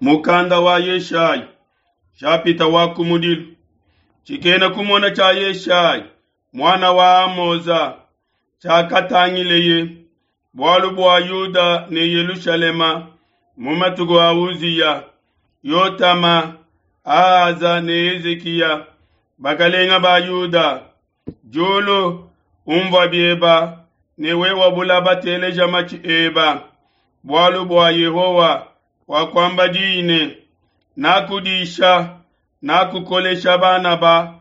Mukanda wa Yeshaya, nshapita wa kumudilu. Tshikena kumona tshia Yeshaya muana wa Amoza tshiakatangileye bualu bua Yuda ne Yelushalema mu matuku a Uziya, Yotama, Ahaza ne Hezikiya, bakalenga ba Yuda. Diulu, umvua bieba, ne wewe bulaba teleja matshi eba, bualu bua Yehowa wakuamba diyi ne, Nakudisha, nakukolesha bana ba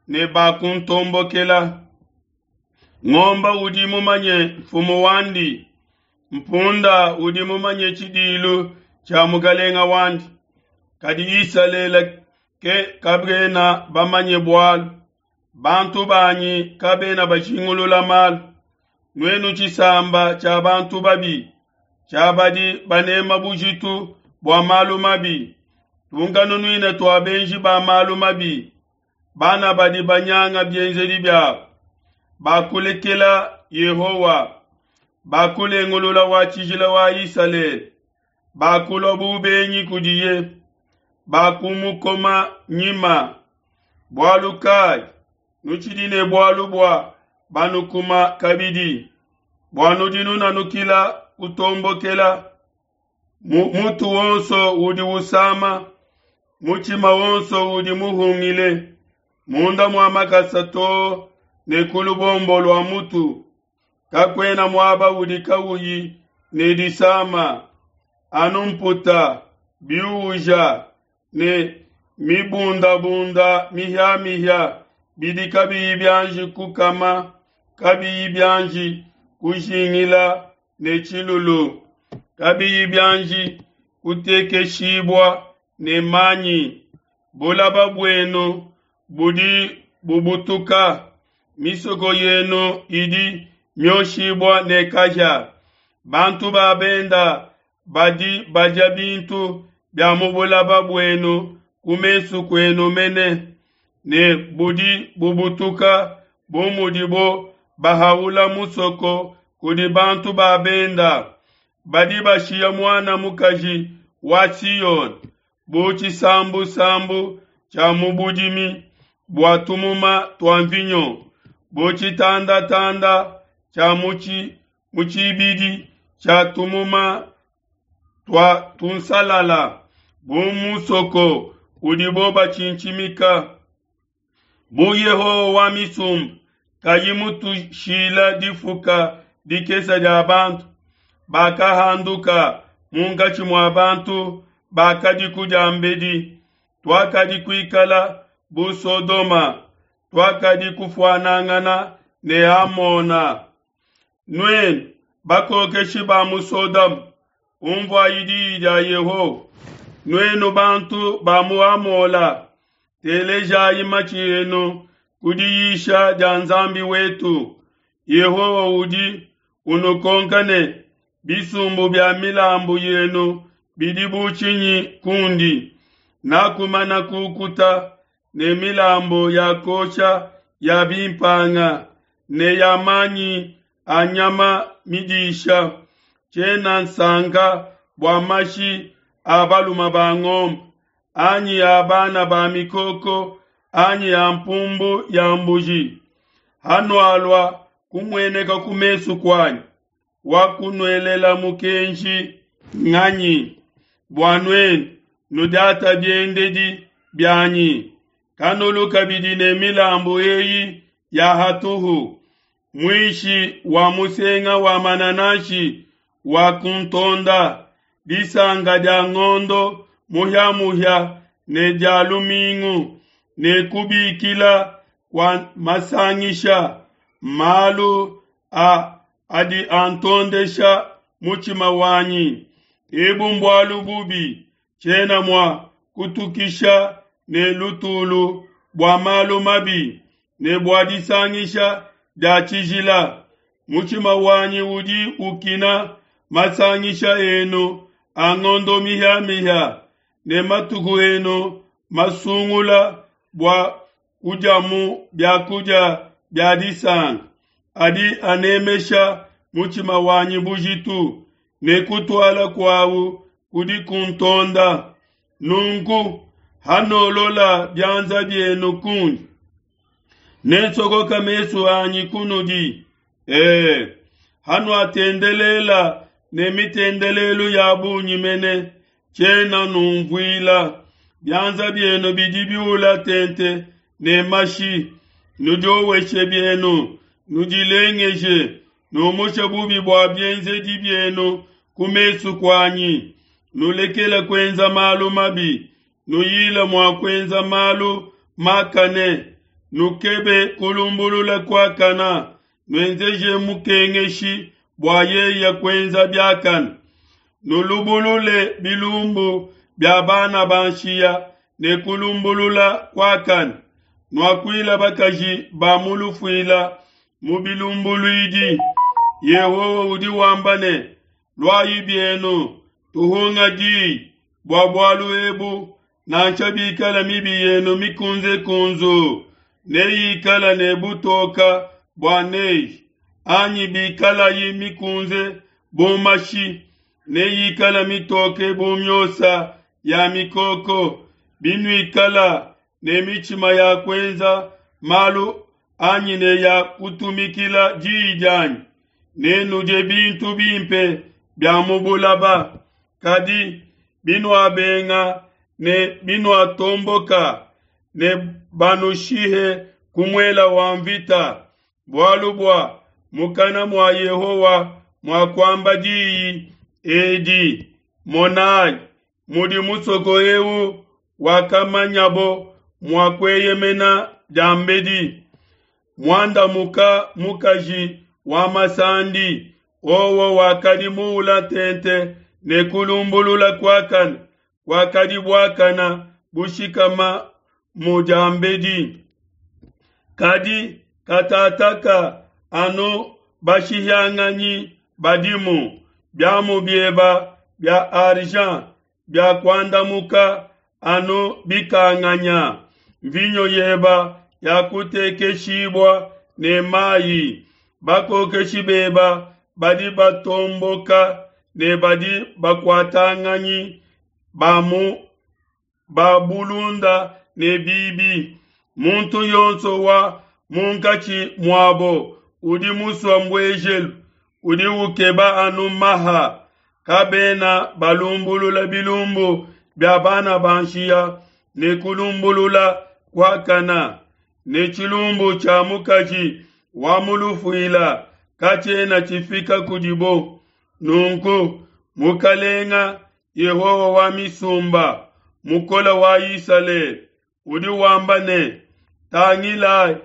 ne bakuntombokela. Ngomba udi mumanye mfumu wandi, mpunda udi mumanye tshidilu tshia mukalenga wandi, kadi Isalele ke kabena bamanye bualu, bantu banyi kabena bajingulula malu. Nuenu tshisamba tshia bantu babi, tshia badi banema bujitu bua malu mabi, tunkanunuina tua benji ba malu mabi, bana badi banyanga bienzedi biabo, bakulekela Yehowa, bakulengulula wa tshijila wa Isalele, bakulua bu benyi kudiye, bakumukoma nyima. Bualu kai nutshidi ne bualu bua banukuma kabidi, bua nudi nunanukila kutombokela? Mutu wonso udi usama, mutshima wonso udi muhungile, munda mua makasa too ne ku lubombo lua mutu, kakuena muaba udi kauyi ne disama, anu mputa, biuja ne mibundabunda mihiamihia bidi kabiyi bianji kukama, kabiyi bianji kujingila ne tshilulu, kabiyi bianji kutekeshibua ne manyi. Bulaba buenu budi bubutuka, misoko yenu idi mioshibua ne kahia. Bantu ba benda badi badia bintu bia mu bulaba buenu ku mesu kuenu mene, ne budi bubutuka bu mudibo bahaula musoko kudi bantu ba benda. Badi bashiya muana mukaji wa Siyone bu tshisambusambu tshia mu budimi bua tumuma tua mvinyo, bu tshitandatanda tshia mu tshibidi tshia tumuma tua tunsalala, bu musoko udibo batshintshimika. Bu Yehowa wa misumba kayi mutushila difuka dikese dia bantu, bakahanduka munkatshi mua bantu bakadiku diambedi, tuakadi kuikala bu Sodoma, tuakadi kufuanangana ne Amona. Nuenu bakokeshi ba mu Sodoma, unvuayi diyi dia Yehowa. Nuenu bantu ba mu Amola, telejayi matshi enu ku diyisha dia Nzambi wetu. Yehowa udi unukonka ne, bisumbu bia milambu yenu bidi bu tshinyi kundi? Nakumana kukuta ne milambu ya kuosha ya bimpanga ne ya manyi a nyama midisha. Tshiena nsanka bua mashi a balume ba ngombe, anyi a bana ba mikoko, anyi a mpumbu ya mbuji. Hanualua kumueneka ku mesu kuanyi, wakunuelela mukenji nganyi bua nuenu nudiata biendedi bianyi? Kanulu kabidi ne milambu eyi ya hatuhu, muishi wa musenga wa manananshi wa kuntonda, disanka dia ngondo muhia-muhia ne dia lumingu, ne kubikila kua masangisha, malu a adi antondesha mutshima wanyi. Ebu mbualu bubi, tshiena mua kutukisha ne lutulu bua malu mabi ne bua disangisha dia tshijila. Mutshima wanyi udi ukina masangisha enu a ngondo mihia-mihia ne matuku enu masungula bua kudiamu biakudia bia disanka, adi anemesha mutshima wanyi bujitu, ne kutuala kuawu kudi kuntonda. Nunku hanolola bianza bienu kundi, nensokoka mesu anyi kunudi. E, hanuatendelela ne mitendelelu ya bungi mene, tshiena numvuila. Bianza bienu bidi biula tente ne mashi, nudioweshe bienu, nudilengeje, numushe bubi bua bienzedi bienu ku mesu kuanyi. Nulekele kuenza malu mabi, nuyile mua kuenza malu makane, nukebe kulumbulula kuakana, nuenzeje mukengeshi bua yeye kuenza biakane. Nulubulule bilumbu bia bana ba nshiya ne kulumbulula kuakane. Nuakuila bakaji ba mu lufuila mu bilumbuluidi. Yehowa udi wamba ne, Luayi bienu, tuhunga diyi bua bualu ebu, nansha bikala mibi yenu mikunzekunzu, neyikala ne butoka bua neige, anyi bikalayi mikunze bu mashi, neyikala mitoke bu miosa ya mikoko. Binuikala ne mitshima ya kuenza malu anyi ne ya kutumikila diyi dianyi, nenudie bintu bimpe bia mu bulaba. Kadi binuabenga ne binuatomboka, ne banushihe ku muela wa mvita, bualu bua mukana mua Yehowa muakuamba diyi edi. Monai mudi musoko eu wakamanyabo mua kueyemena diambedi, muandamuka mukaji wa masandi, wowo wakadi muula tente ne kulumbulula kuakane, kuakadi buakana bushikama mu diambedi. Kadi katataka anu bashihianganyi badimu, biamu bieba bia argent bia kuandamuka anu bikanganya, mvinyo yeba yakutekeshibua ne mayi. Bakokeshi beba badi batomboka ne badi bakuatanganyi ba mu ba bulunda ne bibi. Muntu yonso wa munkatshi muabo udi musua mbuejelu, udi ukeba anu maha. Kabena balumbulula bilumbu bia bana ba nshiya ne kulumbulula kuakana, ne tshilumbu tshia mukaji wa mu lufuila katshiena tshifika kudibo. Nunku Mukalenga Yehowa wa misumba, Mukole wa Isalele, udi wamba ne, Tangilai,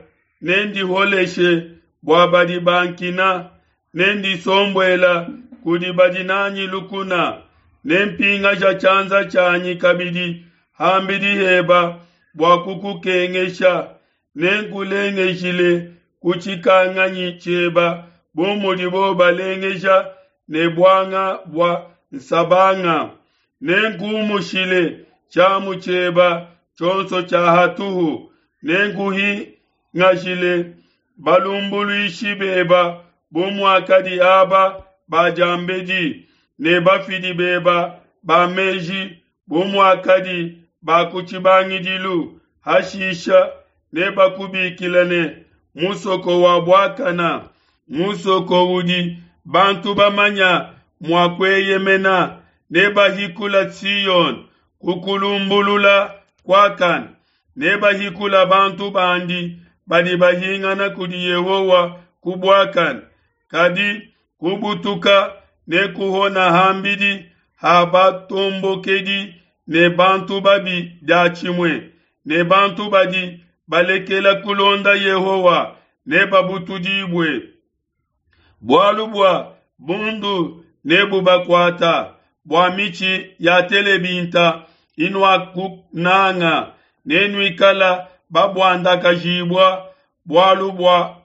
nendiholeshe bua badi bankina, nendisombuela kudi badi nanyi lukuna, nempingasha tshianza tshianyi kabidi ham'bidi heba bua kukukengesha, nenkulengeshile ku tshikanganyi tshieba bu mudibo balengesha ne buanga bua nsabanga. Nenkumushile tshiamu tshieba tshionso tshia hatuhu, nenkuhingashile balumbuluishi beba bu muakadi aba ba diambedi, ne bafidi beba ba meji bu muakadi ba ku tshibangidilu. Hashisha nebakubikile ne, Musoko wa buakana, musoko udi bantu bamanya mua kueyemena. Nebahikula Siona ku kulumbulula kuakane, nebahikula bantu bandi badi bahingana kudi Yehowa ku buakane. Kadi kubutuka nekuhona ham'bidi ha batombokedi ne bantu babi diatshimue, ne bantu badi balekela kulonda Yehowa nebabutudibue. Bualu bua bundu nebubakuata bua mitshi ya telebinta inuakunanga, nenuikala babuandakajibua bualu bua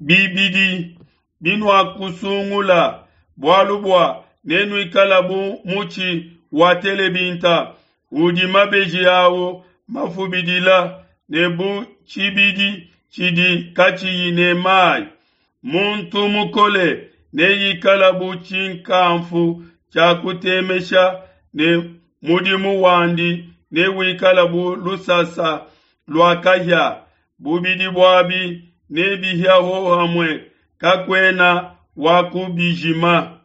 bibidi binuakusungula, bualu bua nenuikala bu mutshi wa telebinta udi mabeji awo mafubidila, ne bu tshibidi tshidi katshiyi ne mayi. Muntu mukole neikala bu tshinkamfu tshia kutemesha ne Mudimu wandi newikale bu lusasa lua kahia, bubidi buabi nebihie hohamue, kakuena wa kubijima.